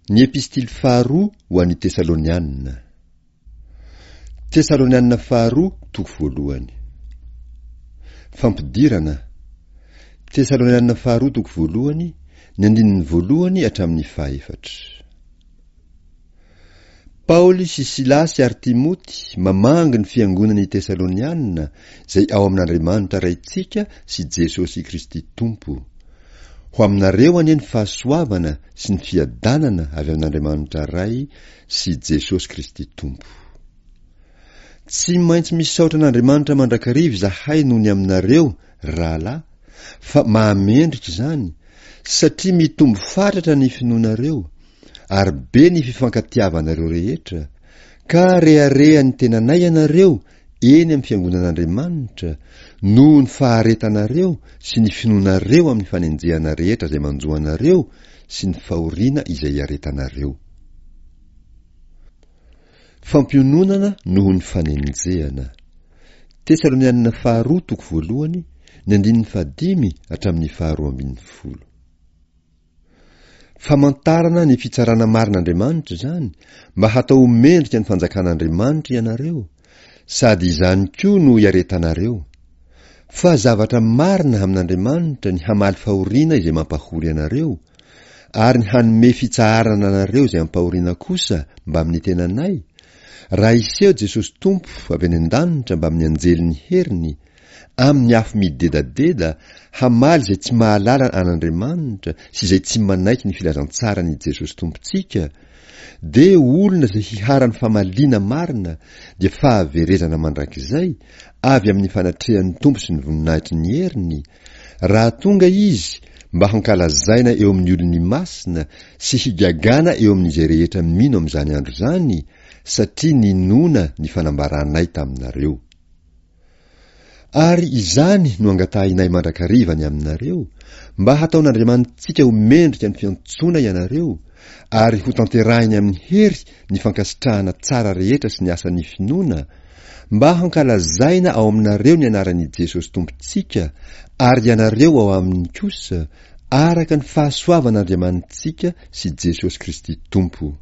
Ny Epistily faharoa ho an'ny Tesalonianina. Tesalonianina faharoa toko voalohany. Fampidirana. Tesalonianina faharoa toko voalohany, ny andininy voalohany hatramin'ny fahefatra. Paoly sy Silasy ary Timoty mamangy ny fiangonan' i Tesaloniana izay ao amin' Andriamanitra Raintsika sy Jesosy Kristy Tompo. Ho aminareo anie ny fahasoavana sy ny fiadanana avy amin' Andriamanitra Ray sy Jesosy Kristy Tompo. Tsy maintsy misaotra an'Andriamanitra mandrakariva izahay noho ny aminareo, ry rahalahy, fa mahamendrika izany, satria mitombo fatratra ny finoanareo, ary be ny fifankatiavanareo rehetra, ka reharehan'ny tenanay ianareo eny amin'ny fiangonan'Andriamanitra, noho ny faharetanareo sy ny finoanareo amin'ny fanenjehana rehetra izay manjo anareo sy ny fahoriana izay iaretanareo. Fampiononana noho ny fanenjehana. Tesalonianina faharoa toko voalohany, ny andininy fahadimy hatramin'ny faharoa ambin'ny folo. Famantarana ny fitsarana marin'Andriamanitra izany mba hatao ho mendrika ny fanjakan'Andriamanitra ianareo, sady izany koa no iaretanareo. Fa zavatra marina amin'Andriamanitra ny hamaly fahoriana izay mampahory anareo, ary ny hanome fitsaharana anareo izay ampahoriana kosa mbamin'ny tenanay, raha hiseho Jesosy Tompo avy any an-danitra mbamin'ny anjelin'ny heriny, amin'ny afo midedadeda, hamaly izay tsy mahalala an'Andriamanitra sy izay tsy manaiky ny filazantsaran'i Jesosy Tompontsika, dia olona izay hiharan'ny famaliana marina dia fahaverezana mandrakizay avy amin'ny fanatrehan'ny Tompo sy ny voninahitry ny heriny, Raha tonga Izy mba hankalazaina eo amin'ny olony masina sy higagana eo amin'izay rehetra mino amin'izany andro izany, satria ninoana ny fanambaranay taminareo. Ary izany no angatahinay mandrakariva ny aminareo, mba hataon'Andriamanitsika ho mendrika ny fiantsoana ianareo, ary hotanterahiny amin'ny hery ny fankasitrahana tsara rehetra sy ny asan'ny finoana, mba hankalazaina ao aminareo ny anaran'i Jesosy Tompontsika, ary ianareo ao aminy kosa, araka ny fahasoavan'Andriamanitsika sy Jesosy Kristy Tompo.